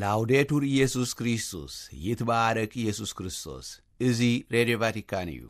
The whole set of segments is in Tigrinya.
ላውዴቱር ኢየሱስ ክርስቶስ፣ ይትባረክ ኢየሱስ ክርስቶስ። እዚ ሬድዮ ቫቲካን እዩ።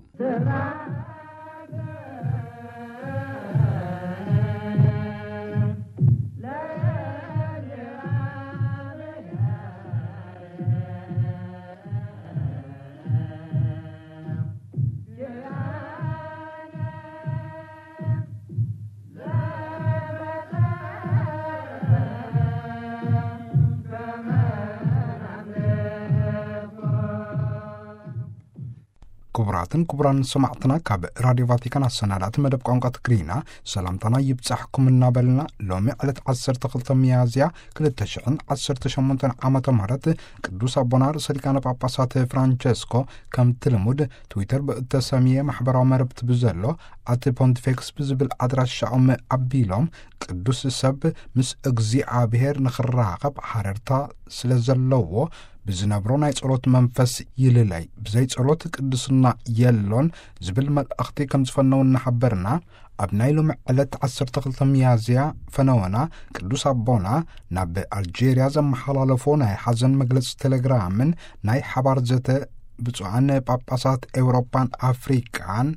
ክቡራትን ክቡራን ሰማዕትና፣ ካብ ራድዮ ቫቲካን ኣሰናዳእቲ መደብ ቋንቋ ትግርኛ ሰላምታና ይብጻሕኩም እናበልና፣ ሎሚ ዕለት ዓሰርተ ክልተ ሚያዝያ ክልተ ሽሕን ዓሰርተ ሸሞንተን ዓመተ ምህረት ቅዱስ ኣቦና ርእሰ ሊቃነ ጳጳሳት ፍራንቸስኮ ከምቲ ልሙድ ትዊተር ብእተሰምየ ማሕበራዊ መረብቲ ብዘሎ ኣቲ ፖንቲፌክስ ብዝብል ኣድራሻኦም ኣቢሎም፣ ቅዱስ ሰብ ምስ እግዚኣብሔር ንኽራኸብ ሓረርታ ስለ ዘለዎ ብዝነብሮ ናይ ጸሎት መንፈስ ይልለይ፣ ብዘይ ጸሎት ቅድስና የሎን ዝብል መልእኽቲ ከም ዝፈነው እናሓበርና፣ ኣብ ናይ ሎሚ ዕለት ዓሰርተ ክልተ ሚያዝያ ፈነወና ቅዱስ ኣቦና ናብ ኣልጄርያ ዘመሓላለፎ ናይ ሓዘን መግለጺ ቴሌግራምን ናይ ሓባር ዘተ ብፁዓን ጳጳሳት ኤውሮጳን ኣፍሪቃን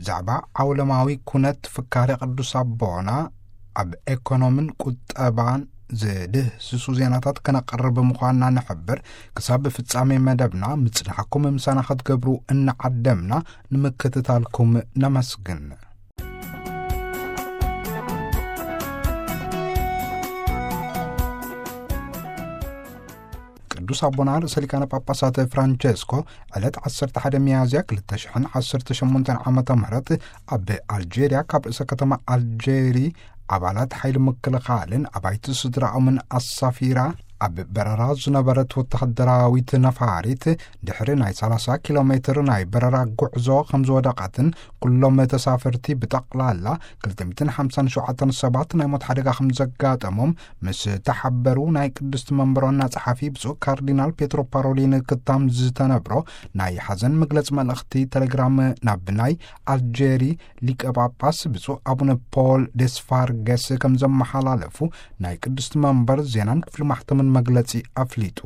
ዛዕባ ዓውለማዊ ኩነት ፍካሬ ቅዱስ ኣቦና ኣብ ኤኮኖምን ቁጠባን ዝድህስሱ ዜናታት ከነቕርብ ምዃንና ንሕብር። ክሳብ ፍጻሜ መደብና ምጽናሕኩም ምሳና ክትገብሩ እናዓደምና ንምክትታልኩም ነመስግን። ቅዱስ ኣቦና ርእሰ ሊቃነ ጳጳሳት ፍራንቸስኮ ዕለት ዓሰርተ ሓደ ሚያዝያ ክልተ ሽሕን ዓሰርተ ሸሞንተን ዓመተ ምህረት ኣብ ኣልጄርያ ካብ ርእሰ ከተማ ኣልጄሪ ኣባላት ሓይሊ ምክልኻልን ኣባይቲ ስድራኦምን ኣሳፊራ ኣብ በረራ ዝነበረት ወተሃደራዊት ነፋሪት ድሕሪ ናይ ሰላሳ ኪሎ ሜትር ናይ በረራ ጉዕዞ ከም ዝወደቐትን ኩሎም ተሳፈርቲ ብጠቕላላ ክልተ ሚእትን ሓምሳን ሸውዓተን ሰባት ናይ ሞት ሓደጋ ከም ዘጋጠሞም ምስ ተሓበሩ ናይ ቅድስቲ መንበር ዋና ጸሓፊ ብፁዕ ካርዲናል ፔትሮ ፓሮሊን ክታም ዝተነብሮ ናይ ሓዘን መግለጺ መልእኽቲ ቴሌግራም ናብ ናይ ኣልጄሪ ሊቀ ጳጳስ ብፁዕ ኣቡነ ፖል ዴስፋርገስ ከም ዘመሓላለፉ ናይ ቅድስቲ መንበር ዜናን ክፍሊ ማሕተምን መግለጺ ኣፍሊጡ።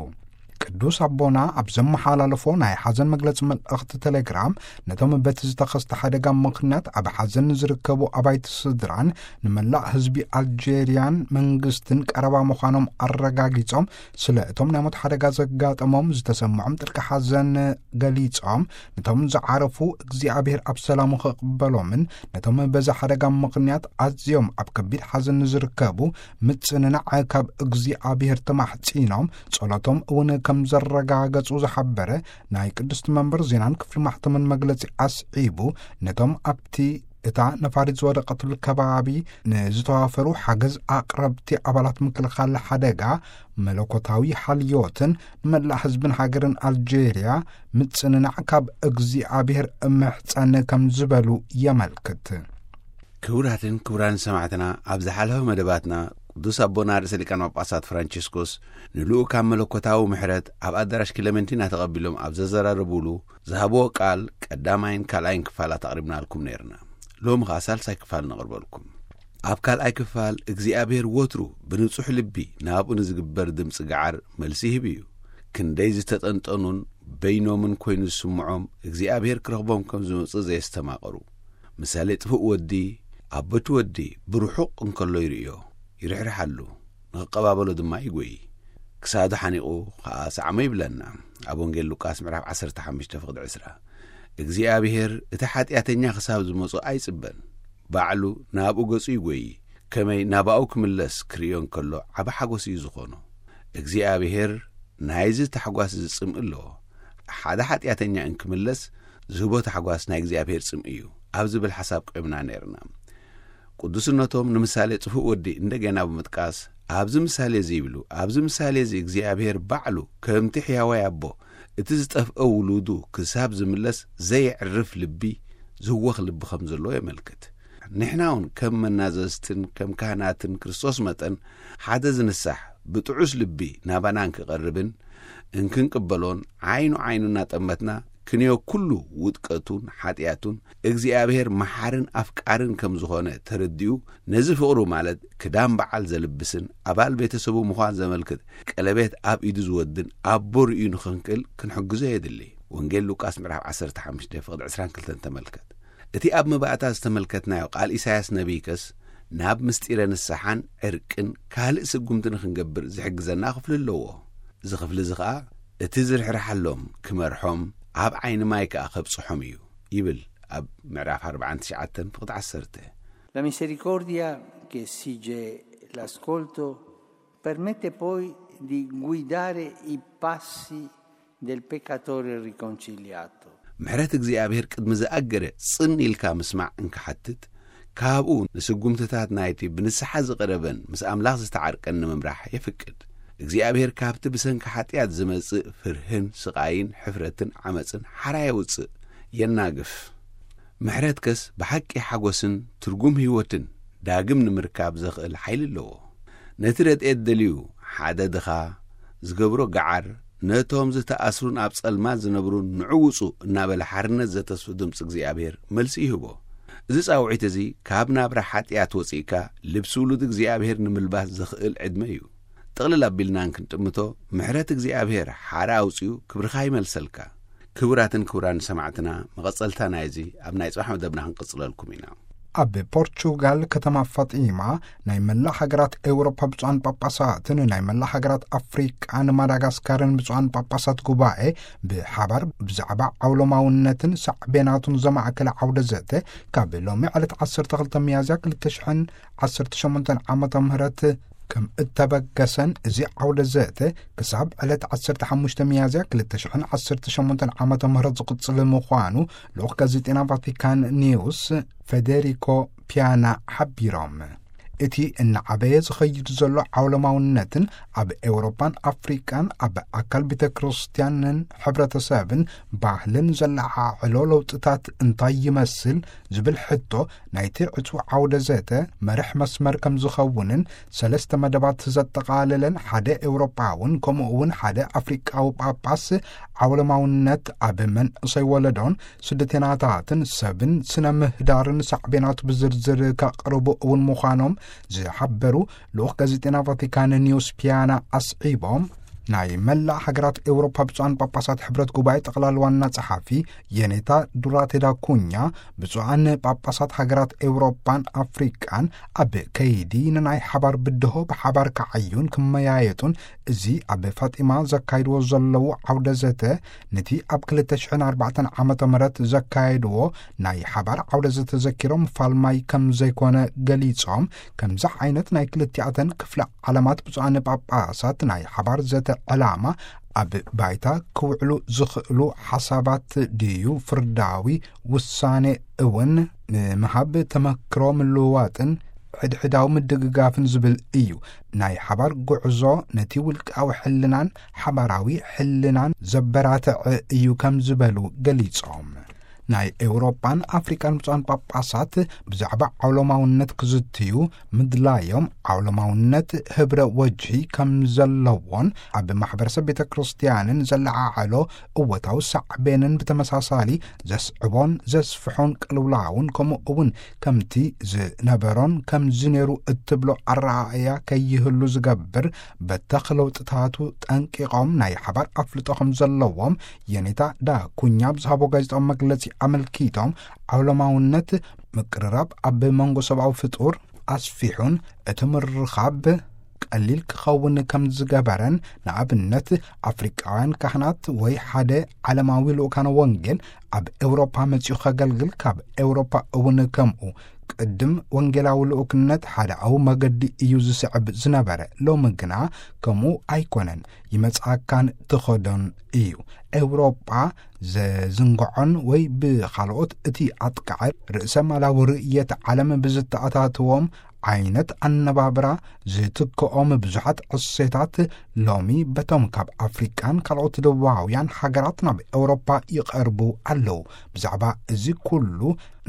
ቅዱስ ኣቦና ኣብ ዘመሓላለፎ ናይ ሓዘን መግለጺ መልእኽቲ ቴሌግራም፣ ነቶም በቲ ዝተኸስተ ሓደጋ ምኽንያት ኣብ ሓዘን ንዝርከቡ ኣባይቲ ስድራን ንመላእ ህዝቢ ኣልጄርያን መንግስትን ቀረባ ምዃኖም ኣረጋጊጾም፣ ስለ እቶም ናይ ሞት ሓደጋ ዘጋጠሞም ዝተሰምዖም ጥልቂ ሓዘን ገሊጾም፣ ነቶም ዝዓረፉ እግዚኣብሔር ኣብ ሰላሙ ክቕበሎምን ነቶም በዚ ሓደጋ ምኽንያት ኣዝዮም ኣብ ከቢድ ሓዘን ንዝርከቡ ምጽንናዕ ካብ እግዚኣብሔር ተማሕጺኖም፣ ጸሎቶም እውን ከም ዘረጋገጹ ዝሓበረ ናይ ቅድስቲ መንበር ዜናን ክፍሊ ማሕተምን መግለጺ ኣስዒቡ፣ ነቶም ኣብቲ እታ ነፋሪት ዝወደቐትሉ ከባቢ ንዝተዋፈሩ ሓገዝ ኣቕረብቲ ኣባላት ምክልኻል ሓደጋ መለኮታዊ ሓልዮትን ንመላእ ህዝብን ሃገርን ኣልጄርያ ምጽንናዕ ካብ እግዚኣብሔር እምሕጸን ከም ዝበሉ የመልክት። ክቡራትን ክቡራን ሰማዕትና፣ ኣብ ዝሓለፈ መደባትና ቅዱስ ኣቦና ርእሰ ሊቃነ ጳጳሳት ፍራንቸስኮስ ንልኡካን መለኮታዊ ምሕረት ኣብ ኣዳራሽ ክለመንቲና ተቐቢሎም ኣብ ዘዘራረቡሉ ዝሃብዎ ቃል ቀዳማይን ካልኣይን ክፋላት ኣቕሪብናልኩም ነይርና። ሎሚ ኸኣ ሳልሳይ ክፋል ነቕርበልኩም። ኣብ ካልኣይ ክፋል እግዚኣብሔር ወትሩ ብንጹሕ ልቢ ናብኡ ንዝግበር ድምጺ ገዓር መልሲ ይህብ እዩ። ክንደይ ዝተጠንጠኑን በይኖምን ኮይኑ ዝስምዖም እግዚኣብሔር ክረኽቦም ከም ዝመጽእ ዘየስተማቐሩ። ምሳሌ ጥፉእ ወዲ፣ ኣቦቲ ወዲ ብርሑቕ እንከሎ ይርእዮ፣ ይርሕርሓሉ፣ ንኽቀባበሎ ድማ ይጎዪ። ክሳዱ ሓኒቑ ኸኣ ሰዓሞ ይብለና። ኣብ ወንጌል ሉቃስ ምዕራፍ ዓሰርተ ሓሙሽተ ፍቕዲ ዕስራ። እግዚኣብሔር እቲ ሓጢኣተኛ ክሳብ ዝመጾ ኣይጽበን። ባዕሉ ናብኡ ገጹ ይጎዪ። ከመይ ናባኡ ክምለስ ክርእዮ እንከሎ ዓቢ ሓጎስ እዩ ዝኾኖ። እግዚኣብሔር ናይዚ ታሕጓስ እዚ ጽምኢ ኣለዎ። ሓደ ሓጢኣተኛ እንክምለስ ዝህቦ ታሕጓስ ናይ እግዚኣብሔር ጽምኢ እዩ ኣብ ዝብል ሓሳብ ቆይምና ነይርና። ቅዱስነቶም ንምሳሌ ጥፉእ ወዲ እንደገና ብምጥቃስ፣ ኣብዚ ምሳሌ እዚ ይብሉ፣ ኣብዚ ምሳሌ እዚ እግዚኣብሔር ባዕሉ ከምቲ ሕያዋይ ኣቦ እቲ ዝጠፍአ ውሉዱ ክሳብ ዝምለስ ዘየዕርፍ ልቢ፣ ዝህወኽ ልቢ ከም ዘለዎ የመልክት። ንሕና እውን ከም መናዘዝትን ከም ካህናትን ክርስቶስ መጠን ሓደ ዝንሳሕ ብጥዑስ ልቢ ናባና እንክቐርብን እንክንቅበሎን ዓይኑ ዓይኑ እናጠመትና ክንዮ ኩሉ ውድቀቱን ሓጢኣቱን፣ እግዚኣብሔር መሓርን ኣፍቃርን ከም ዝኾነ ተረዲኡ፣ ነዚ ፍቕሩ፣ ማለት ክዳን በዓል ዘልብስን ኣባል ቤተሰቡ ምዃን ዘመልክት ቀለቤት ኣብ ኢዱ ዝወድን ኣቦ ርእዩ ንኽንክእል ክንሕግዞ የድሊ። ወንጌል ሉቃስ ምዕራፍ ዓሰርተ ሓሙሽተ ፍቕዲ ዕስራን ክልተን ተመልከት። እቲ ኣብ መባእታ ዝተመልከትናዮ ቃል ኢሳያስ ነቢይ ከስ፣ ናብ ምስጢረ ንስሓን ዕርቅን ካልእ ስጉምቲ ንኽንገብር ዝሕግዘና ክፍሊ ኣለዎ። እዚ ክፍሊ እዚ ኸኣ፣ እቲ ዝርሕርሓሎም ክመርሖም ኣብ ዓይኒ ማይ ከኣ ከብጽሖም እዩ ይብል ኣብ ምዕራፍ ኣርባዓን ትሽዓተን ፍቕዲ ዓሰርተ። La misericordia che esige l'ascolto permette poi di guidare i passi del peccatore riconciliato. ምሕረት እግዚኣብሔር ቅድሚ ዝኣገደ ጽን ኢልካ ምስማዕ እንክሓትት፣ ካብኡ ንስጉምትታት ናይቲ ብንስሓ ዝቐረበን ምስ ኣምላኽ ዝተዓርቀን ንምምራሕ የፍቅድ። እግዚኣብሔር ካብቲ ብሰንኪ ሓጢኣት ዝመጽእ ፍርህን ስቓይን ሕፍረትን ዓመጽን ሓራ የውጽእ፣ የናግፍ። ምሕረት ከስ ብሓቂ ሓጎስን ትርጉም ህይወትን ዳግም ንምርካብ ዘኽእል ሓይሊ ኣለዎ። ነቲ ረድኤት ደልዩ ሓደ ድኻ ዝገብሮ ገዓር፣ ነቶም ዝተኣስሩን ኣብ ጸልማት ዝነብሩን ንዑ ውጹ እናበለ ሓርነት ዘተስፉ ድምጺ እግዚኣብሔር መልሲ ይህቦ። እዚ ጻውዒት እዚ ካብ ናብራ ሓጢኣት ወጺእካ ልብሲ ውሉድ እግዚኣብሔር ንምልባስ ዘኽእል ዕድመ እዩ። ጥቕልል ኣቢልና እንክንጥምቶ፣ ምሕረት እግዚኣብሔር ሓራ ኣውጺኡ ክብርኻ ይመልሰልካ። ክቡራትን ክቡራን ሰማዕትና፣ መቐጸልታ ናይዚ ኣብ ናይ ጽባሕ መደብና ክንቅጽለልኩም ኢና። ኣብ ፖርቹጋል ከተማ ፋጢማ ናይ መላእ ሃገራት ኤውሮፓ ብፁዓን ጳጳሳትን ናይ መላእ ሃገራት ኣፍሪቃን ማዳጋስካርን ብፁዓን ጳጳሳት ጉባኤ ብሓባር ብዛዕባ ዓውሎማውነትን ሳዕቤናቱን ዘማእከለ ዓውደ ዘተ ካብ ሎሚ ዕለት ዓሰርተ ክልተ ሚያዝያ ክልተ ሽሕን ዓሰርተ ሸሞንተን ዓመተ ምህረት ከም እተበገሰን፣ እዚ ዓውደ ዘተ ክሳብ ዕለት ዓሰርተ ሓሙሽተ ሚያዝያ ክልተ ሽሕን ዓሰርተ ሸሞንተን ዓመተ ምህረት ዝቕጽል ምዃኑ ልኡኽ ጋዜጤና ቫቲካን ኒውስ ፌዴሪኮ ፒያና ሓቢሮም። እቲ እናዓበየ ዝኸይድ ዘሎ ዓውለማውነትን ኣብ ኤውሮጳን ኣፍሪቃን ኣብ ኣካል ቤተ ክርስቲያንን ሕብረተሰብን ባህልን ዘለዓዕሎ ለውጥታት እንታይ ይመስል ዝብል ሕቶ ናይቲ ዕጹ ዓውደ ዘተ መርሕ መስመር ከም ዝኸውንን፣ ሰለስተ መደባት ዘጠቓለለን ሓደ ኤውሮጳውን ከምኡ እውን ሓደ ኣፍሪቃዊ ጳጳስ ዓውለማውነት ኣብ መንእሰይ ወለዶን ስደተናታትን ሰብን ስነ ምህዳርን ሳዕቤናቱ ብዝርዝር ከቕርቡ እውን ምዃኖም ዝሓበሩ ልኡኽ ጋዜጤና ቫቲካን ኒውስ ፒያና ኣስዒቦም፣ ናይ መላእ ሃገራት ኤውሮፓ ብፁዓን ጳጳሳት ሕብረት ጉባኤ ጠቕላል ዋና ጸሓፊ የኔታ ዱራቴ ዳኩኛ፣ ብፁዓን ጳጳሳት ሃገራት ኤውሮፓን ኣፍሪቃን ኣብ ከይዲ ንናይ ሓባር ብድሆ ብሓባር ክዓዩን ክመያየጡን፣ እዚ ኣብ ፋጢማ ዘካይድዎ ዘለዉ ዓውደ ዘተ ነቲ ኣብ ክልተ ሽሕን ኣርባዕተን ዓመተ ምህረት ዘካየድዎ ናይ ሓባር ዓውደ ዘተ ዘኪሮም ፋልማይ ከም ዘይኮነ ገሊጾም፣ ከምዚ ዓይነት ናይ ክልቲኣተን ክፍለ ዓለማት ብፁዓን ጳጳሳት ናይ ሓባር ዘተ ዕላማ ኣብ ባይታ ክውዕሉ ዝኽእሉ ሓሳባት ድዩ ፍርዳዊ ውሳኔ እውን ንምሃብ ተመክሮ ምልውዋጥን ሕድሕዳዊ ምድግጋፍን ዝብል እዩ። ናይ ሓባር ጉዕዞ ነቲ ውልቃዊ ሕልናን ሓባራዊ ሕልናን ዘበራትዕ እዩ ከም ዝበሉ ገሊጾም። ናይ ኤውሮጳን ኣፍሪቃን ብፁዓን ጳጳሳት ብዛዕባ ዓውሎማውነት ክዝትዩ ምድላዮም፣ ዓውሎማውነት ህብረ ወጅሂ ከም ዘለዎን ኣብ ማሕበረሰብ ቤተ ክርስቲያንን ዘለዓዓሎ እወታዊ ሳዕቤንን ብተመሳሳሊ ዘስዕቦን ዘስፍሖን ቅልውላውን ከምኡ እውን ከምቲ ዝነበሮን ከም ዝነሩ እትብሎ ኣረኣእያ ከይህሉ ዝገብር በተኽ ለውጥታቱ ጠንቂቖም ናይ ሓባር ኣፍልጦ ከም ዘለዎም የኔታ ዳኩኛ ብዝሃቦ ጋዜጣዊ መግለጺ ኣመልኪቶም፣ ዓውለማውነት ምቅርራብ ኣብ መንጎ ሰብኣዊ ፍጡር ኣስፊሑን እቲ ምርኻብ ቀሊል ክኸውን ከም ዝገበረን፣ ንኣብነት ኣፍሪቃውያን ካህናት ወይ ሓደ ዓለማዊ ልኡካነ ወንጌል ኣብ ኤውሮፓ መጺኡ ከገልግል፣ ካብ ኤውሮፓ እውን ከምኡ ቅድም ወንጌላዊ ልኡክነት ሓደኣዊ መገዲ እዩ ዝስዕብ ዝነበረ፣ ሎሚ ግና ከምኡ ኣይኮነን፣ ይመጽኣካን ትኸዶን እዩ። ኤውሮጳ ዘዝንግዖን ወይ ብኻልኦት እቲ ኣጥቃዒ ርእሰ ማላዊ ርእየት ዓለም ብዝተኣታትዎም ዓይነት ኣነባብራ ዝትክኦም ብዙሓት ዕሴታት ሎሚ በቶም ካብ ኣፍሪቃን ካልኦት ደቡባውያን ሃገራት ናብ ኤውሮጳ ይቐርቡ ኣለዉ። ብዛዕባ እዚ ኩሉ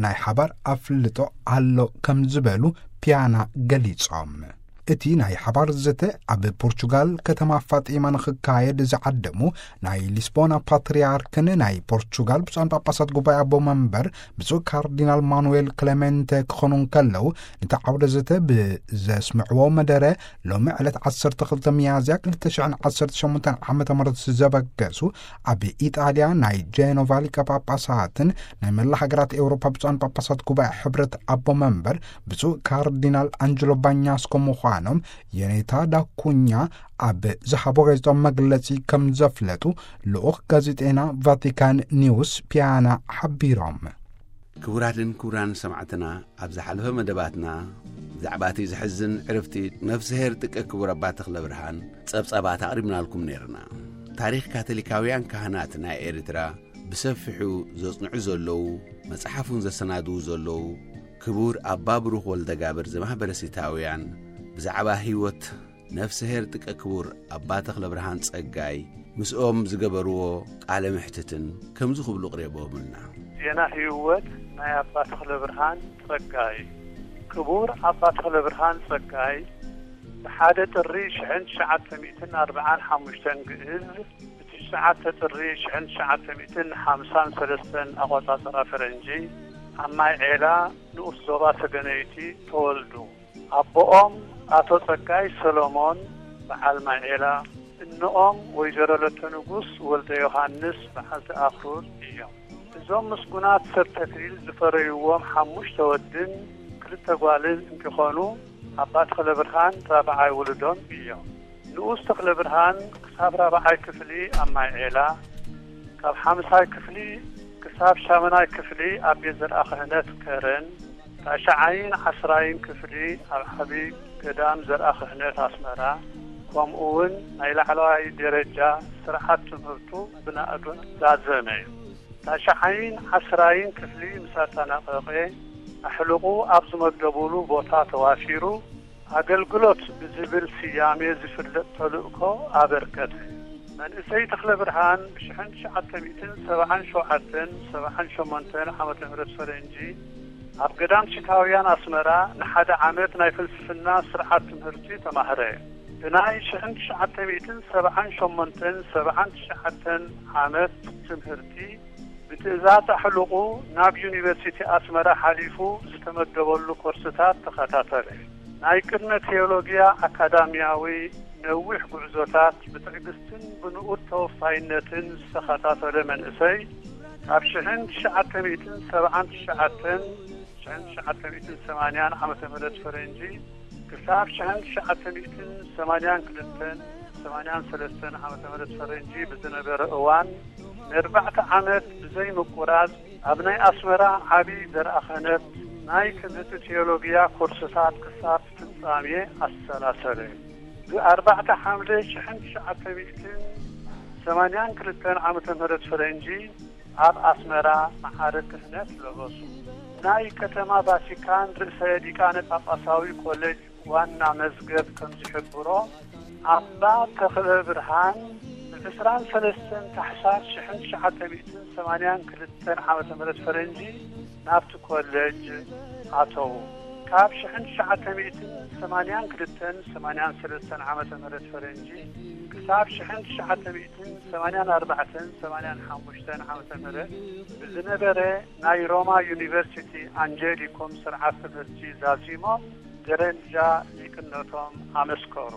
ናይ ሓባር ኣፍልጦ ኣሎ ከም ዝበሉ ፒያና ገሊጾም። እቲ ናይ ሓባር ዘተ ኣብ ፖርቹጋል ከተማ ፋጢማ ንኽካየድ ዝዓደሙ ናይ ሊስቦና ፓትርያርክን ናይ ፖርቹጋል ብፁዓን ጳጳሳት ጉባኤ ኣቦ መንበር ብፁዕ ካርዲናል ማኑኤል ክሌሜንተ ክኾኑ እንከለዉ፣ ነቲ ዓውደ ዘተ ብዘስምዕዎ መደረ፣ ሎሚ ዕለት ዓሰርተ ክልተ ሚያዝያ ክልተ ሽሕን ዓሰርተ ሸሞንተን ዓመተ ምህረት ዘበገሱ ኣብ ኢጣልያ ናይ ጄኖቫ ሊቀ ጳጳሳትን ናይ መላ ሃገራት ኤውሮፓ ብፁዓን ጳጳሳት ጉባኤ ሕብረት ኣቦ መንበር ብፁዕ ካርዲናል ኣንጀሎ ባኛስኮ ምዃኖም የኔታ ዳኩኛ ኣብ ዝሃቦ ጋዜጣዊ መግለጺ ከም ዘፍለጡ ልኡኽ ጋዜጠና ቫቲካን ኒውስ ፒያና ሓቢሮም። ክቡራትን ክቡራን ሰማዕትና፣ ኣብ ዝሓለፈ መደባትና ብዛዕባ እቲ ዘሕዝን ዕርፍቲ ነፍስሄር ጥቀ ክቡር ኣባ ተኽለ ብርሃን ጸብጻባት ኣቕሪብናልኩም ነይርና። ታሪኽ ካቶሊካውያን ካህናት ናይ ኤርትራ ብሰፊሑ ዘጽንዑ ዘለዉ፣ መጽሓፉን ዘሰናድዉ ዘለዉ ክቡር ኣባ ብሩኽ ወልደጋብር ዘማህበረሲታውያን ብዛዕባ ህይወት ነፍስሄር ጥቀ ክቡር ኣባ ተኽለ ብርሃን ጸጋይ ምስኦም ዝገበርዎ ቃለ ምሕትትን ከምዚ ክብሉ ቅሬቦምልና። ዜና ህይወት ናይ ኣባ ተኽለ ብርሃን ጸጋይ። ክቡር ኣባ ተኽለ ብርሃን ጸጋይ ብሓደ ጥሪ ሽሕን ትሽዓተ ሚእትን ኣርብዓን ሓሙሽተን ግእዝ፣ ብትሽዓተ ጥሪ ሽሕን ትሽዓተ ሚእትን ሓምሳን ሰለስተን ኣቆጻጽራ ፈረንጂ ኣብ ማይ ዔላ ንኡስ ዞባ ሰገነይቲ ተወልዱ። ኣቦኦም ኣቶ ጸጋይ ሰሎሞን በዓል ማይ ዔላ፣ እኖኦም ወይዘሮ ለተ ንጉስ ወልደ ዮሃንስ በዓልቲ ኣኽሩር እዮም። እዞም ምስጉናት ሰብ ተክሊል ዝፈረይዎም ሓሙሽተ ወድን ክልተ ጓልን እንኪኾኑ፣ ኣባ ተኽለ ብርሃን ራብዓይ ውሉዶም እዮም። ንኡስ ተኽለ ብርሃን ክሳብ ራብዓይ ክፍሊ ኣብ ማይ ዔላ፣ ካብ ሓምሳይ ክፍሊ ክሳብ ሻምናይ ክፍሊ ኣብ ቤት ዘርኣ ክህነት ከረን፣ ታሽዓይን ዓስራይን ክፍሊ ኣብ ዓቢ ገዳም ዘርኣ ክህነት ኣስመራ፣ ከምኡ እውን ናይ ላዕለዋይ ደረጃ ስርዓት ትምህርቱ ብናእዱን ዛዘመ። ታሽዓይን ዓስራይን ክፍሊ ምስ ኣጠናቐቐ፣ ኣሕልቑ ኣብ ዝመደቡሉ ቦታ ተዋፊሩ፣ ኣገልግሎት ብዝብል ስያሜ ዝፍለጥ ተልእኮ ኣበርከተ። መንእሰይ ተኽለ ብርሃን ብሽሕን ትሽዓተ ሚእትን ሰብዓን ሸውዓተን ሰብዓን ሸሞንተን ዓመተ ምህረት ፈረንጂ ኣብ ገዳም ሲታውያን ኣስመራ ንሓደ ዓመት ናይ ፍልስፍና ስርዓት ትምህርቲ ተማህረ። ብናይ ሽሕን ትሽዓተ ሚእትን ሰብዓን ሸሞንተን ሰብዓን ትሽዓተን ዓመት ትምህርቲ ብትእዛዝ ኣሕልቑ ናብ ዩኒቨርሲቲ ኣስመራ ሓሊፉ ዝተመደበሉ ኮርስታት ተኸታተለ። ናይ ቅድመ ቴዎሎጊያ ኣካዳሚያዊ ነዊሕ ጉዕዞታት ብትዕግስትን ብንኡድ ተወፋይነትን ዝተኸታተለ መንእሰይ፣ ካብ ሽሕን ትሽዓተ ሚእትን ሰብዓን ትሽዓተን፣ ሽሕን ትሽዓተ ሚእትን ሰማንያን ዓመተ ምህረት ፈረንጂ፣ ክሳብ ሽሕን ትሽዓተ ሚእትን ሰማንያን ክልተን፣ ሰማንያን ሰለስተን ዓመተ ምህረት ፈረንጂ ብዝነበረ እዋን፣ ንኣርባዕተ ዓመት ብዘይ ምቁራጽ ኣብ ናይ ኣስመራ ዓቢ ዘርኣ ክህነት ናይ ትምህርቲ ቴዎሎጊያ ኮርስታት ክሳብ ፍጻሜ ኣሰላሰለ። ብኣርባዕተ ሓምለ ሽሕን ትሽዓተ ሚእትን ሰማንያን ክልተን ዓመተ ምህረት ፈረንጂ ኣብ ኣስመራ መዓርግ ክህነት ለበሱ። ናይ ከተማ ቫቲካን ርእሰ ሊቃነ ጳጳሳዊ ኮሌጅ ዋና መዝገብ ከም ዝሕብሮ፣ ኣባ ተኽለ ብርሃን ብዕስራን ሰለስተን ታሕሳስ ሽሕን ትሽዓተ ሚእትን ሰማንያን ክልተን ዓመተ ምህረት ፈረንጂ ናብቲ ኮሌጅ ኣተዉ። ካብ ሽሕን ትሽዓተ ሚእትን ሰማንያን ክልተን ሰማንያን ሰለስተን ዓመተ ምህረት ፈረንጂ ክሳብ ሽሕን ትሽዓተ ሚእትን ሰማንያን ኣርባዕተን ሰማንያን ሓሙሽተን ዓመተ ምህረት ብዝነበረ ናይ ሮማ ዩኒቨርሲቲ ኣንጀሊኮም ስርዓት ትምህርቲ ዛዚሞም ደረጃ ሊቅነቶም ኣመስከሩ።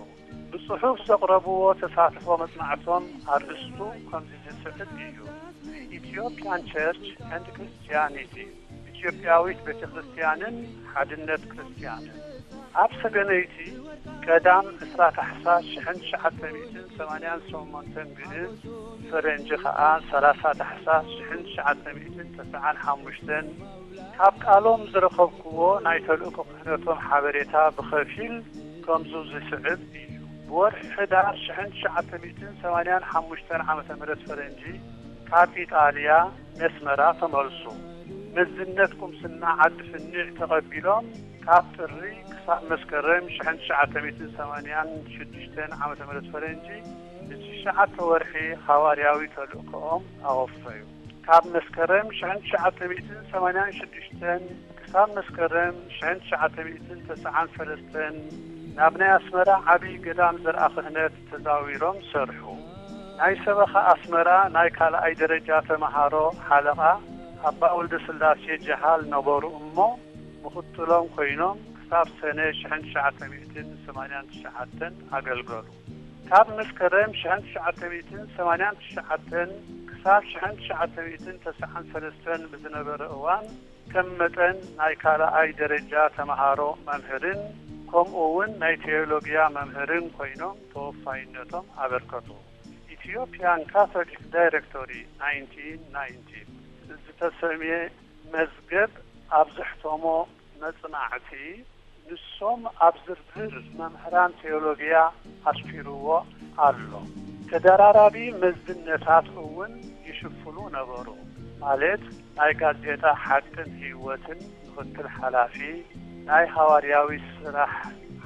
ብጽሑፍ ዘቕረብዎ ተሳትፎ መጽናዕቶም ኣርእስቱ ከምዚ ዝስዕብ እዩ፣ The Ethiopian Church and Christianity፣ ኢትዮጵያዊት ቤተ ክርስቲያንን ሓድነት ክርስቲያንን። ኣብ ሰገነይቲ ቀዳም ዕስራ ታሕሳስ ሽሕን ትሽዓተ ሚእትን ሰማንያን ሸሞንተን ግእዝ፣ ፈረንጂ ኸኣ ሰላሳ ታሕሳስ ሽሕን ትሽዓተ ሚእትን ተስዓን ሓሙሽተን፣ ካብ ቃሎም ዝረኸብክዎ ናይ ተልእኮ ክህነቶም ሓበሬታ ብኸፊል ከምዙ ዝስዕብ እዩ። ብወርሒ ሕዳር ሽሕን ትሽዓተ ሚእትን ሰማንያን ሓሙሽተን ዓመተ ምህረት ፈረንጂ፣ ካብ ኢጣልያ ነስመራ ተመልሱ። መዝነት ቁምስና ዓዲ ፍኒዕ ተቐቢሎም፣ ካብ ጥሪ ክሳብ መስከረም ሽሕን ትሽዓተ ሚእትን ሰማንያን ሽዱሽተን ዓመተ ምህረት ፈረንጂ፣ ንትሽዓተ ወርሒ ሃዋርያዊ ተልእኮኦም ኣወፈዩ። ካብ መስከረም ሽሕን ትሽዓተ ሚእትን ሰማንያን ሽዱሽተን ክሳብ መስከረም ሽሕን ትሽዓተ ሚእትን ተስዓን ሰለስተን፣ ናብ ናይ ኣስመራ ዓብዪ ገዳም ዘርኣ ክህነት ተዛዊሮም ሰርሑ። ናይ ሰበኻ ኣስመራ ናይ ካልኣይ ደረጃ ተመሃሮ ሓለቓ ኣባ ወልደ ስላሴ ጀሃል ነበሩ እሞ፣ ምኽትሎም ኮይኖም ክሳብ ሰነ ሽሕን ትሽዓተ ሚእትን ሰማንያን ትሽዓተን ኣገልገሉ። ካብ መስከረም ሽሕን ትሽዓተ ሚእትን ሰማንያን ትሽዓተን ክሳብ ሽሕን ትሽዓተ ሚእትን ተስዓን ሰለስተን ብዝነበረ እዋን፣ ከም መጠን ናይ ካልኣይ ደረጃ ተመሃሮ መምህርን፣ ከምኡ እውን ናይ ቴዎሎጊያ መምህርን ኮይኖም ተወፋይነቶም ኣበርከቱ። ኢትዮጵያን ካቶሊክ ዳይሬክቶሪ ናይንቲን ናይንቲ ዝተሰምየ መዝገብ ኣብ ዘሕተሞ መጽናዕቲ፣ ንሶም ኣብ ዝርዝር መምህራን ቴዎሎጊያ ኣስፊርዎ ኣሎ። ተደራራቢ መዝነታት እውን ይሽፍኑ ነበሩ፣ ማለት ናይ ጋዜጣ ሓቅን ህይወትን ምኽትል ሓላፊ፣ ናይ ሃዋርያዊ ስራሕ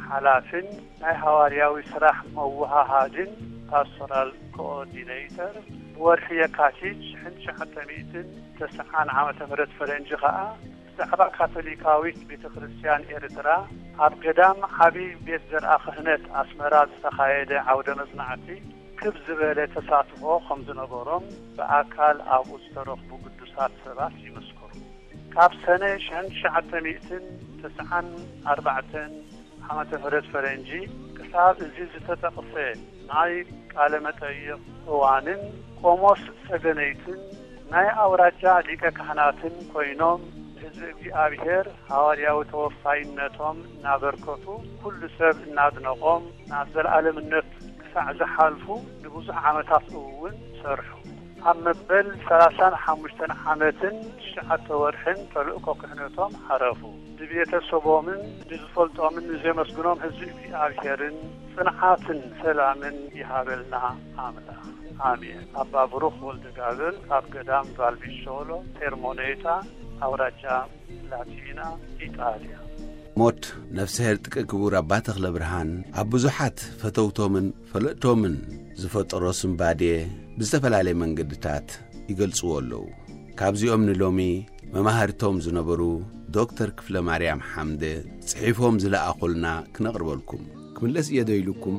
ሓላፍን ናይ ሃዋርያዊ ስራሕ መወሃሃድን ፓስቶራል ኮኦርዲኔተር፣ ብወርሒ የካቲት ሽሕን ትሽዓተ ሚእትን ተስዓን ዓመተ ምህረት ፈረንጂ ኸኣ፣ ብዛዕባ ካቶሊካዊት ቤተ ክርስቲያን ኤርትራ ኣብ ገዳም ዓቢ ቤት ዘርኣ ክህነት ኣስመራ ዝተኻየደ ዓውደ መጽናዕቲ ክብ ዝበለ ተሳትፎ ከም ዝነበሮም ብኣካል ኣብኡ ዝተረኽቡ ቅዱሳት ሰባት ይምስክሩ። ካብ ሰነ ሽሕን ትሽዓተ ሚእትን ተስዓን ኣርባዕተን ዓመተ ምህረት ፈረንጂ ክሳብ እዚ ዝተጠቕሰ ናይ ቃለ መጠይቕ እዋንን ቆሞስ ሰገነይትን ናይ ኣውራጃ ሊቀ ካህናትን ኮይኖም፣ ህዝቢ እግዚኣብሔር ሃዋርያዊ ተወፋይነቶም እናበርከቱ፣ ኩሉ ሰብ እናድነቖም፣ ናብ ዘለኣለምነት ክሳዕ ዝሓልፉ ንብዙሕ ዓመታት እውን ሰርሑ። ኣብ መበል ሰላሳን ሓሙሽተን ዓመትን ትሽዓተ ወርሕን ተልእኮ ክህነቶም ዓረፉ። ንቤተሰቦምን ንዝፈልጦምን ንዘመስግኖም ህዝቢ እግዚኣብሔርን ጽንዓትን ሰላምን ይሃበልና ኣምላኽ። ኣሜን። ኣባ ብሩኽ ወልደ ጋብር ካብ ገዳም ቫልቪሾሎ ቴርሞኔታ፣ ኣውራጃ ላቲና፣ ኢጣልያ። ሞት ነፍስሄር ጥቀ ክቡር ኣባ ተኽለ ብርሃን ኣብ ብዙሓት ፈተውቶምን ፈለጥቶምን ዝፈጠሮ ስንባዴ ብዝተፈላለየ መንገድታት ይገልጽዎ ኣለዉ። ካብዚኦም ንሎሚ መማህርቶም ዝነበሩ ዶክተር ክፍለ ማርያም ሓምደ ጽሒፎም ዝለኣኹልና ክነቕርበልኩም። ክምለስ እየ ዶ ኢሉኩም?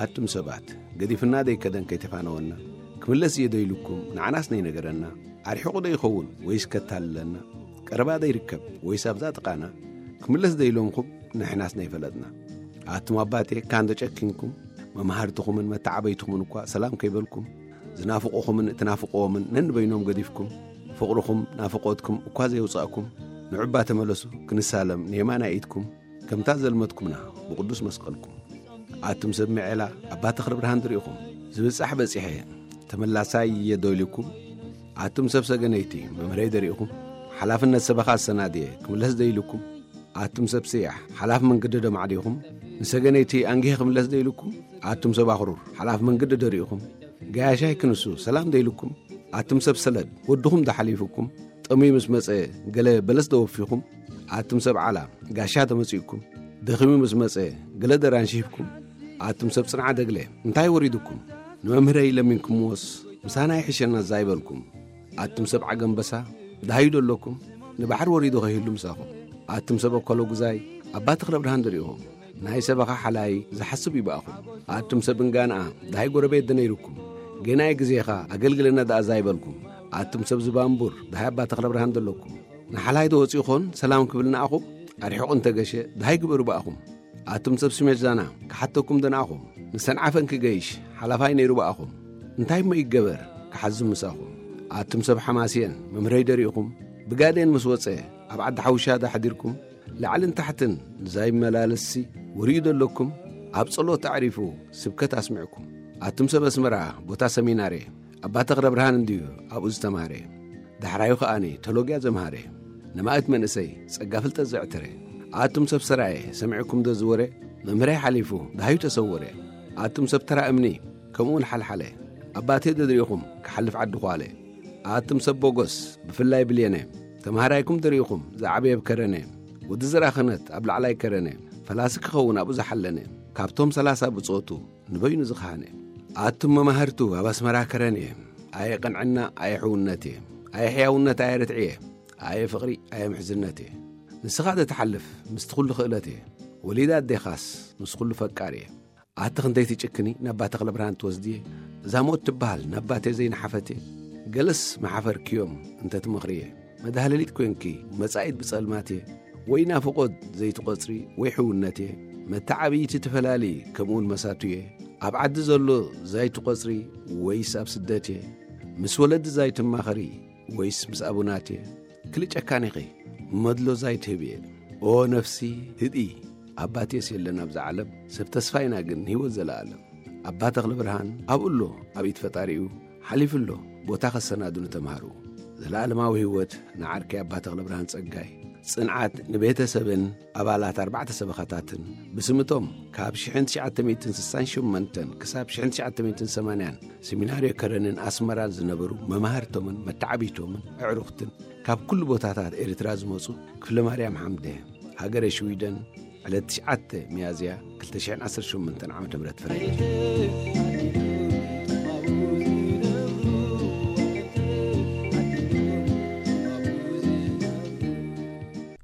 ኣቱም ሰባት፣ ገዲፍና ዶ ይከደን ከይተፋነወና? ክምለስ እየ ዶ ኢሉኩም? ንዓናስ ነይነገረና? ኣርሒቑ ዶ ይኸውን ወይስ ከታልለና? ቀረባ ዶ ይርከብ ወይስ ኣብዛ ጥቓና? ክምለስ ዶ ኢሎምኩም ንሕናስ ነይፈለጥና? ኣቱም ኣባቴ፣ ካን ዶ ጨኪንኩም? መማህርትኹምን መተዓበይትኹምን እኳ ሰላም ከይበልኩም፣ ዝናፍቑኹምን እትናፍቕዎምን ነንበይኖም ገዲፍኩም፣ ፍቕርኹም ናፍቖትኩም እኳ ዘየውጻእኩም፣ ንዑባ ተመለሱ ክንሳለም ንየማናይ ኢድኩም፣ ከምታ ዘልመትኩምና ብቅዱስ መስቀልኩም። ኣቱም ሰብ ምዔላ ኣባ ተኽለ ብርሃን ድሪእኹም፣ ዝብጻሕ በጺሐ ተመላሳይ እየ ዶ ኢልኩም? ኣቱም ሰብ ሰገነይቲ መምህረይ ደሪእኹም፣ ሓላፍነት ሰበኻ ኣሰናድየ ክምለስ ዶ ኢልኩም? ኣቱም ሰብ ስያሕ ሓላፍ መንገዲ ዶ ማዕዲኹም፣ ንሰገነይቲ ኣንጊሄ ክምለስ ዶ ኢልኩም? ኣቱም ሰብ ኣኽሩር ሓላፍ መንገዲ ዶ ሪእኹም፣ ጋያሻይ ክንሱ ሰላም ዶ ኢልኩም? ኣቱም ሰብ ሰለድ ወድኹም ዶ ሓሊፉኩም፣ ጠምዩ ምስ መጸ ገለ በለስ ዶ ወፊኹም? ኣቱም ሰብ ዓላ ጋሻ ተመጺእኩም፣ ደኺሙ ምስ መጸ ገለ ደራንሺ ሂብኩም? ኣቱም ሰብ ጽንዓ ደግለ እንታይ ወሪዱኩም? ንመምህረይ ለሚንኩምዎስ ምሳና ይሕሸና ዛይበልኩም? ኣቱም ሰብ ዓገምበሳ ደሃዩ ዶ ኣለኩም? ንባሕሪ ወሪዱ ኸይህሉ ምሳኹም። ኣቱም ሰብ ኣኮሎ ጉዛይ ኣባ ተኽለ ብርሃን ደሪእኹም፣ ናይ ሰበኻ ሓላይ ዝሓስብ ይብኣኹም። ኣቱም ሰብ እንጋንኣ ደሃይ ጎረቤት ደነይሩኩም፣ ጌናይ ግዜኻ ኣገልግለና ደኣ ዛይበልኩም። ኣቱም ሰብ ዝባንቡር ደሃይ ኣባ ተኽለ ብርሃን ደለኩም፣ ንሓላይ ዶ ወጺኡ ኾን ሰላም ክብል ንኣኹም? ኣርሒቑ እንተገሸ ደሃይ ግበሩ ብኣኹም። ኣቱም ሰብ ስሜት ዛና ክሓተኩም ደንኣኹም፣ ንሰንዓፈን ክገይሽ ሓላፋይ ነይሩ ብኣኹም። እንታይ እሞ ይገበር ክሓዝም ምሳኹም? ኣቱም ሰብ ሓማስየን መምህረይ ደሪእኹም፣ ብጋዴን ምስ ወጸ ኣብ ዓዲ ሓውሻ ዳሕዲርኩም፣ ላዕልን ታሕትን ዛይመላለስሲ ወሪኡ ደለኩም፣ ኣብ ጸሎት ኣዕሪፉ ስብከት ኣስሚዕኩም። ኣቱም ሰብ ኣስመራ ቦታ ሰሚናሬ ኣባ ተኽለ ብርሃን እንድዩ ኣብኡ ዝተማህረ። ዳሕራዩ ከኣኒ ተሎጊያ ዘምሃረ፣ ንማእት መንእሰይ ጸጋ ፍልጠት ዘዕተረ። ኣቱም ሰብ ሰራየ ሰሚዕኩም ዶ ዝወረ? መምህረይ ሓሊፉ ደሃዩ ተሰወረ። ኣቱም ሰብ ተራ እምኒ ከምኡውን ሓልሓለ፣ ኣባቴ ዶ ድሪእኹም ክሓልፍ ዓዲ ኳለ። ኣቱም ሰብ ቦጎስ ብፍላይ ብልየነ ተምሃራይኩም ድሪእኹም ዝዓበየ ብከረነ፣ ወዲ ዘርኣ ክህነት ኣብ ላዕላይ ከረነ፣ ፈላሲ ክኸውን ኣብኡ ዝሓለነ፣ ካብቶም ሰላሳ ብጾቱ ንበይኑ ዝኸሃነ። ኣቱም መማህርቱ ኣብ ኣስመራ ከረን እየ፣ ኣየ ቅንዕና ኣየ ሕውነት እየ፣ ኣየ ሕያውነት ኣየ ርትዒ እየ፣ ኣየ ፍቕሪ ኣየ ምሕዝነት እየ። ንስኻ ዶ ትሓልፍ ምስቲ ኩሉ ክእለት እየ፣ ወሊዳ ኣዴኻስ ምስ ኩሉ ፈቃር እየ። ኣቲ ክንደይ ትጭክኒ፣ ናባ ተኽለ ብርሃን ትወስድየ። እዛ ሞት ትበሃል ናባቴ ዘይነሓፈትየ። ገለስ መሓፈርክዮም እንተ ትመኽርየ። መድሃለሊት ኮንኪ፣ መጻኢት ብጸልማትየ። ወይ ናፍቖት ዘይትቖጽሪ፣ ወይ ሕውነትየ። መተዓብይቲ ትፈላሊ፣ ከምኡውን መሳቱየ። ኣብ ዓዲ ዘሎ ዛይትቖጽሪ፣ ወይስ ኣብ ስደትየ። ምስ ወለዲ ዛይትማኸሪ፣ ወይስ ምስ ኣቡናትየ። ክልጨካን ኢኺ፣ መድሎ ዛይትህብየ። ኦ ነፍሲ፣ ህድኢ፣ ኣባትየስ የለን ኣብዛ ዓለም። ሰብ ተስፋ ኢና ግን ህይወት ዘለኣለም። ኣባ ተኽለ ብርሃን ኣብኡ ኣሎ፣ ኣብ ኢድ ፈጣሪኡ ሓሊፉ ኣሎ፣ ቦታ ከሰናዱ ንተምሃሩ። ዘለኣለማዊ ህይወት ንዓርከይ ኣባ ተኽለ ብርሃን ጸጋይ። ጽንዓት ንቤተሰብን ኣባላት ኣርባዕተ ሰበኻታትን። ብስምቶም ካብ ሽሕን ትሽዓተ ሚእትን ስሳን ሸሞንተን ክሳብ ሽሕን ትሽዓተ ሚእትን ሰማንያን ሰሚናርዮ ከረንን ኣስመራን ዝነበሩ መማህርቶምን መተዓብይቶምን ኣዕሩኽትን፣ ካብ ኩሉ ቦታታት ኤርትራ ዝመጹ ክፍለ ማርያም ሓምደ፣ ሃገረ ሽዊደን፣ ዕለት ትሽዓተ ሚያዝያ ክልተ ሽሕን ዓሰርተ ሸሞንተን ዓመተ ምህረት ፈረንጂ።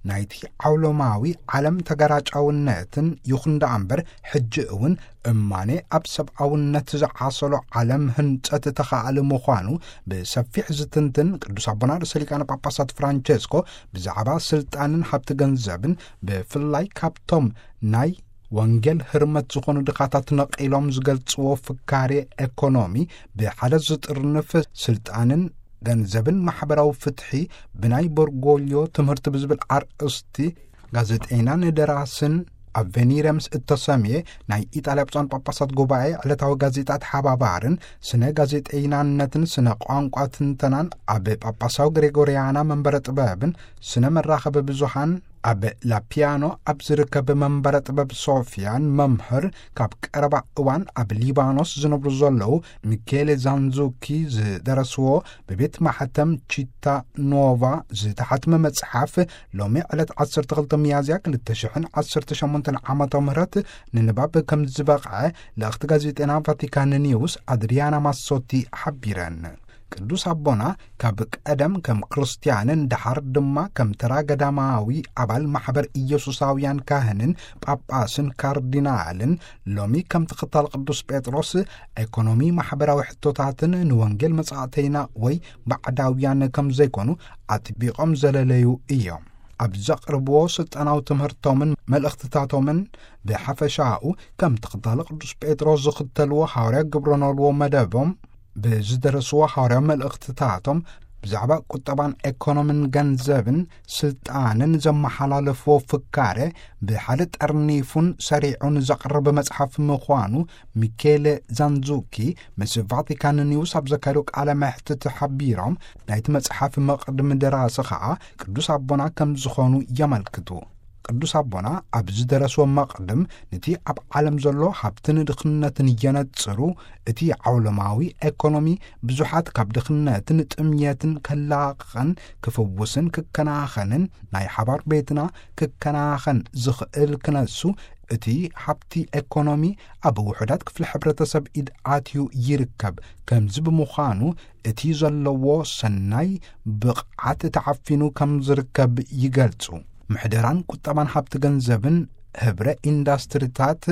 ናይቲ ዓውሎማዊ ዓለም ተገራጫውነትን ይኹን ደኣ እምበር፣ ሕጂ እውን እማኔ ኣብ ሰብኣውነት ዝዓሰሎ ዓለም ህንጸት ተኻኣሊ ምዃኑ ብሰፊሕ ዝትንትን ቅዱስ ኣቦና ርእሰ ሊቃነ ጳጳሳት ፍራንቸስኮ ብዛዕባ ስልጣንን ሃብቲ ገንዘብን፣ ብፍላይ ካብቶም ናይ ወንጌል ህርመት ዝኾኑ ድኻታት ነቒሎም ዝገልጽዎ ፍካሬ ኤኮኖሚ፣ ብሓደ ዝጥርንፍ ስልጣንን ገንዘብን ማሕበራዊ ፍትሒ ብናይ በርጎልዮ ትምህርቲ ብዝብል ኣርእስቲ፣ ጋዜጠይናን ደራስን ኣቬኒረ ምስ እተሰምየ ናይ ኢጣልያ ብፁዓን ጳጳሳት ጉባኤ ዕለታዊ ጋዜጣ ተሓባባርን ስነ ጋዜጠይናነትን ስነ ቋንቋ ትንተናን ኣብ ጳጳሳዊ ግሬጎርያና መንበረ ጥበብን ስነ መራኸቢ ብዙሃን ኣብ ላፒያኖ ኣብ ዝርከብ መንበረ ጥበብ ሶፊያን መምህር ካብ ቀረባ እዋን ኣብ ሊባኖስ ዝነብሩ ዘለዉ ሚኬሌ ዛንዙኪ ዝደረስዎ ብቤት ማሕተም ቺታ ኖቫ ዝተሓትመ መጽሓፍ ሎሚ ዕለት ዓሰርተ ክልተ ሚያዝያ ክልተ ሽሕን ዓሰርተ ሸሞንተን ዓመተ ምህረት ንንባብ ከም ዝበቕዐ ልእኽቲ ጋዜጠና ቫቲካን ኒውስ ኣድሪያና ማሶቲ ሓቢረን። ቅዱስ ኣቦና ካብ ቀደም ከም ክርስትያንን ደሓር ድማ ከም ተራ ገዳማዊ ኣባል ማሕበር ኢየሱሳውያን ካህንን ጳጳስን ካርዲናልን ሎሚ ከም ተኸታል ቅዱስ ጴጥሮስ ኤኮኖሚ ማሕበራዊ ሕቶታትን ንወንጌል መጻእተይና ወይ ባዕዳውያን ከም ዘይኮኑ ኣጥቢቖም ዘለለዩ እዮም። ኣብ ዘቕርብዎ ስልጣናዊ ትምህርቶምን መልእኽትታቶምን ብሓፈሻኡ ከም ተኸታሊ ቅዱስ ጴጥሮስ ዝኽተልዎ ሃዋርያ ግብረ ኖልዎ መደቦም ብዝደረስዎ ሃዋርያዊ መልእኽትታቶም ብዛዕባ ቁጠባን ኤኮኖምን ገንዘብን ስልጣንን ዘመሓላለፍዎ ፍካረ ብሓደ ጠርኒፉን ሰሪዑን ዘቕርብ መጽሓፍ ምዃኑ ሚኬለ ዛንዙኪ ምስ ቫቲካን ኒውስ ኣብ ዘካየዶ ቃለ መሕትት ሓቢሮም፣ ናይቲ መጽሓፍ መቕድም ደራሲ ኸኣ ቅዱስ ኣቦና ከም ዝኾኑ የመልክቱ። ቅዱስ ኣቦና ኣብ ዝደረስዎ መቕድም ነቲ ኣብ ዓለም ዘሎ ሃብትን ድኽነትን የነጽሩ። እቲ ዓውሎማዊ ኤኮኖሚ ብዙሓት ካብ ድኽነትን ጥምየትን ከላቕቐን ክፍውስን ክከናኸንን ናይ ሓባር ቤትና ክከናኸን ዝኽእል ክነሱ እቲ ሃብቲ ኤኮኖሚ ኣብ ውሑዳት ክፍሊ ሕብረተሰብ ኢድ ኣትዩ ይርከብ። ከምዚ ብምዃኑ እቲ ዘለዎ ሰናይ ብቕዓት ተዓፊኑ ከም ዝርከብ ይገልጹ። ምሕደራን ቁጠባን ሃብቲ ገንዘብን ህብረ ኢንዳስትሪታት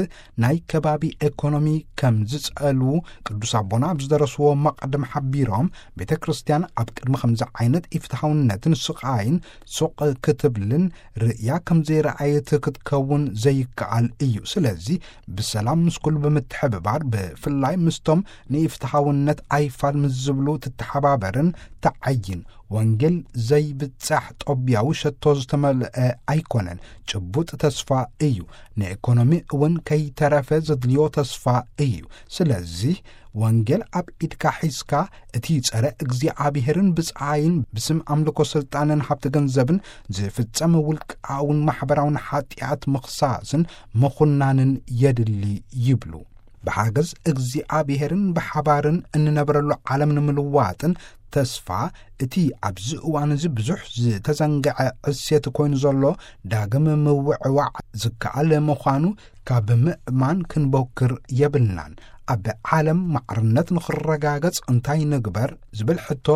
ናይ ከባቢ ኤኮኖሚ ከም ዝጸልዉ ቅዱስ ኣቦና ኣብ ዝደረስዎ መቕድም ሓቢሮም፣ ቤተ ክርስቲያን ኣብ ቅድሚ ከምዚ ዓይነት ኢፍትሓውነትን ስቓይን ሱቕ ክትብልን ርእያ ከም ዘይረኣየት ክትከውን ዘይከኣል እዩ። ስለዚ ብሰላም ምስ ኩሉ ብምትሕብባር፣ ብፍላይ ምስቶም ንኢፍትሓውነት ኣይፋል ምስ ዝብሉ ትተሓባበርን ተዓይን። ወንጌል ዘይብጻሕ ጦብያዊ ሸቶ ዝተመልአ ኣይኮነን። ጭቡጥ ተስፋ እዩ። ንኤኮኖሚ እውን ከይተረፈ ዘድልዮ ተስፋ እዩ። ስለዚ ወንጌል ኣብ ኢድካ ሒዝካ፣ እቲ ጸረ እግዚኣብሔርን ብጻይን ብስም ኣምልኮ ስልጣንን ሃብቲ ገንዘብን ዝፍጸም ውልቃውን ማሕበራውን ሓጢኣት ምኽሳስን ምኹናንን የድሊ ይብሉ። ብሓገዝ እግዚኣብሔርን ብሓባርን እንነብረሉ ዓለም ንምልዋጥን ተስፋ እቲ ኣብዚ እዋን እዚ ብዙሕ ዝተዘንግዐ ዕሴት ኮይኑ ዘሎ ዳግም ምውዕዋዕ ዝከኣል ምዃኑ ካብ ምእማን ክንቦክር የብልናን። ኣብ ዓለም ማዕርነት ንኽረጋገጽ እንታይ ንግበር ዝብል ሕቶ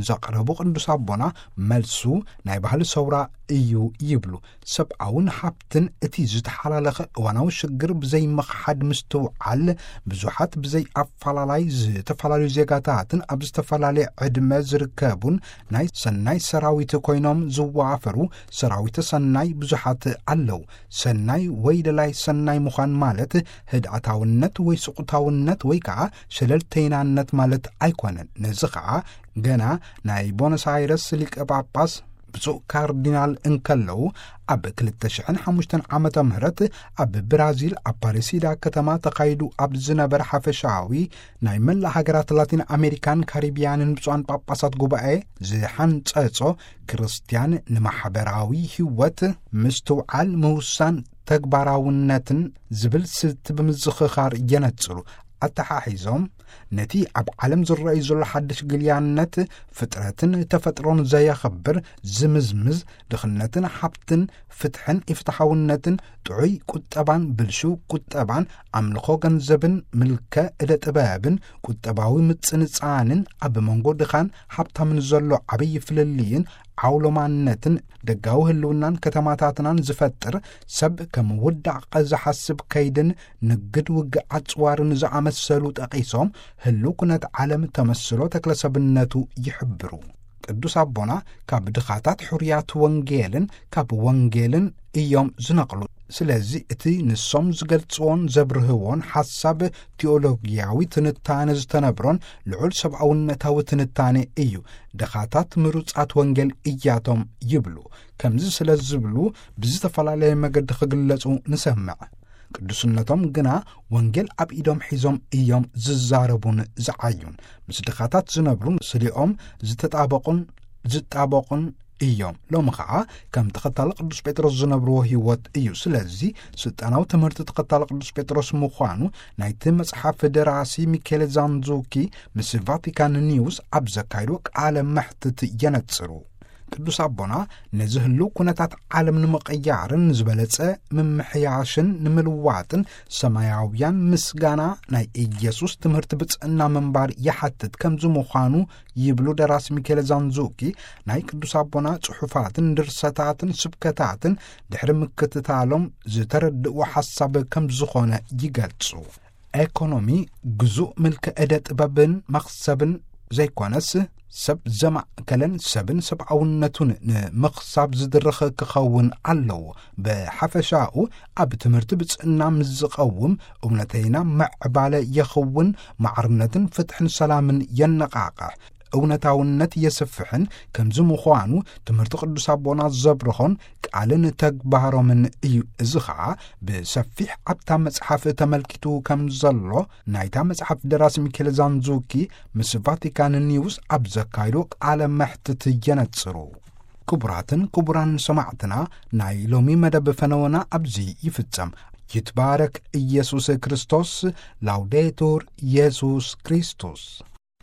ዘቕረቡ ቅዱስ ኣቦና፣ መልሱ ናይ ባህሊ ሰውራ እዩ ይብሉ። ሰብኣውን ሃብትን እቲ ዝተሓላለኸ እዋናዊ ሽግር ብዘይ ምኽሓድ ምስትውዓል፣ ብዙሓት ብዘይ ኣፈላላይ ዝተፈላለዩ ዜጋታትን ኣብ ዝተፈላለየ ዕድመ ዝርከቡን ናይ ሰናይ ሰራዊት ኮይኖም ዝዋፈሩ ሰራዊተ ሰናይ ብዙሓት ኣለዉ። ሰናይ ወይ ደላይ ሰናይ ምዃን ማለት ህድኣታውነት ወይ ስቑታውነት ወይ ከዓ ሸለልተይናነት ማለት ኣይኮነን። ነዚ ከዓ ገና ናይ ቦነስ ኣይረስ ሊቀ ጳጳስ ብፁዕ ካርዲናል እንከለዉ፣ ኣብ ክልተ ሽሕን ሓሙሽተን ዓመተ ምህረት ኣብ ብራዚል ኣፓሬሲዳ ከተማ ተኻይዱ ኣብ ዝነበረ ሓፈሻዊ ናይ መላእ ሃገራት ላቲን ኣሜሪካን ካሪቢያንን ብፁዓን ጳጳሳት ጉባኤ ዝሓንጸጾ፣ ክርስትያን ንማሕበራዊ ህይወት ምስትውዓል፣ ምውሳን፣ ተግባራውነትን ዝብል ስልቲ ብምዝኽኻር የነጽሩ። ኣተሓሒዞም፣ ነቲ ኣብ ዓለም ዝረኣዩ ዘሎ ሓድሽ ግልያነት፣ ፍጥረትን ተፈጥሮን ዘየኽብር፣ ዝምዝምዝ፣ ድኽነትን ሃብትን፣ ፍትሕን ኢፍትሓውነትን፣ ጥዑይ ቁጠባን ብልሹው ቁጠባን፣ ኣምልኾ ገንዘብን ምልከ እደ ጥበብን፣ ቁጠባዊ ምጽንጻንን፣ ኣብ መንጎ ድኻን ሃብታምን ዘሎ ዓብዪ ፍልልይን ዓውሎማነትን፣ ደጋዊ ህልውናን ከተማታትናን ዝፈጥር፣ ሰብ ከም ውዳቕ ዝሓስብ ከይድን ንግድ ውግእ ኣጽዋርን ዝኣመሰሉ ጠቒሶም፣ ህልው ኩነት ዓለም ተመስሎ ተክለሰብነቱ ይሕብሩ። ቅዱስ ኣቦና ካብ ድኻታት ሕሩያት ወንጌልን ካብ ወንጌልን እዮም ዝነቕሉ። ስለዚ እቲ ንሶም ዝገልጽዎን ዘብርህዎን ሓሳብ ቲኦሎጊያዊ ትንታነ ዝተነብሮን ልዑል ሰብኣውነታዊ ትንታኔ እዩ። ድኻታት ምሩጻት ወንጌል እያቶም ይብሉ። ከምዚ ስለ ዝብሉ ብዝተፈላለየ መገዲ ክግለጹ ንሰምዕ። ቅዱስነቶም ግና ወንጌል ኣብ ኢዶም ሒዞም እዮም ዝዛረቡን ዝዓዩን። ምስ ድኻታት ዝነብሩን ስሊኦም ዝተጣበቑን ዝጣበቑን እዮም። ሎሚ ኸዓ ከም ተኸታሊ ቅዱስ ጴጥሮስ ዝነብርዎ ህይወት እዩ። ስለዚ ስልጣናዊ ትምህርቲ ተኸታሊ ቅዱስ ጴጥሮስ ምዃኑ ናይቲ መጽሓፍ ደራሲ ሚኬል ዛንዙኪ ምስ ቫቲካን ኒውስ ኣብ ዘካይዶ ቃለ መሕትት የነጽሩ። ቅዱስ ኣቦና ነዚ ህልው ኩነታት ዓለም ንምቕያርን ዝበለጸ ምምሕያሽን ንምልዋጥን ሰማያውያን ምስጋና ናይ ኢየሱስ ትምህርቲ ብጽዕና ምንባር ይሓትት ከምዚ ምዃኑ ይብሉ ደራሲ ሚኬል ዛንዙኪ፣ ናይ ቅዱስ ኣቦና ጽሑፋትን ድርሰታትን ስብከታትን ድሕሪ ምክትታሎም ዝተረድእዎ ሓሳብ ከም ዝኾነ ይገልጹ። ኤኮኖሚ ግዙእ ምልኪ ዕደ ጥበብን መኽሰብን ዘይኮነስ፣ ሰብ ዘማእከለን ሰብን ሰብኣውነቱን ንምኽሳብ ዝድርኽ ክኸውን ኣለዎ። ብሓፈሻኡ ኣብ ትምህርቲ ብጽዕና ምስ ዝቐውም እውነተይና ምዕባለ የኸውን፣ ማዕርነትን ፍትሕን ሰላምን የነቓቕሕ፣ እውነታውነት የስፍሕን። ከምዚ ምዃኑ ትምህርቲ ቅዱስ ኣቦና ዘብርሆን ቃልን ተግባሮምን እዩ። እዚ ኸዓ ብሰፊሕ ኣብታ መጽሓፍ ተመልኪቱ ከም ዘሎ ናይታ መጽሓፍ ደራሲ ሚኬል ዛንዙኪ ምስ ቫቲካን ኒውስ ኣብ ዘካይዶ ቃለ መሕትት የነጽሩ። ክቡራትን ክቡራን ሰማዕትና፣ ናይ ሎሚ መደብ ፈነወና ኣብዚ ይፍጸም። ይትባረክ ኢየሱስ ክርስቶስ። ላውዴቱር ኢየሱስ ክርስቶስ።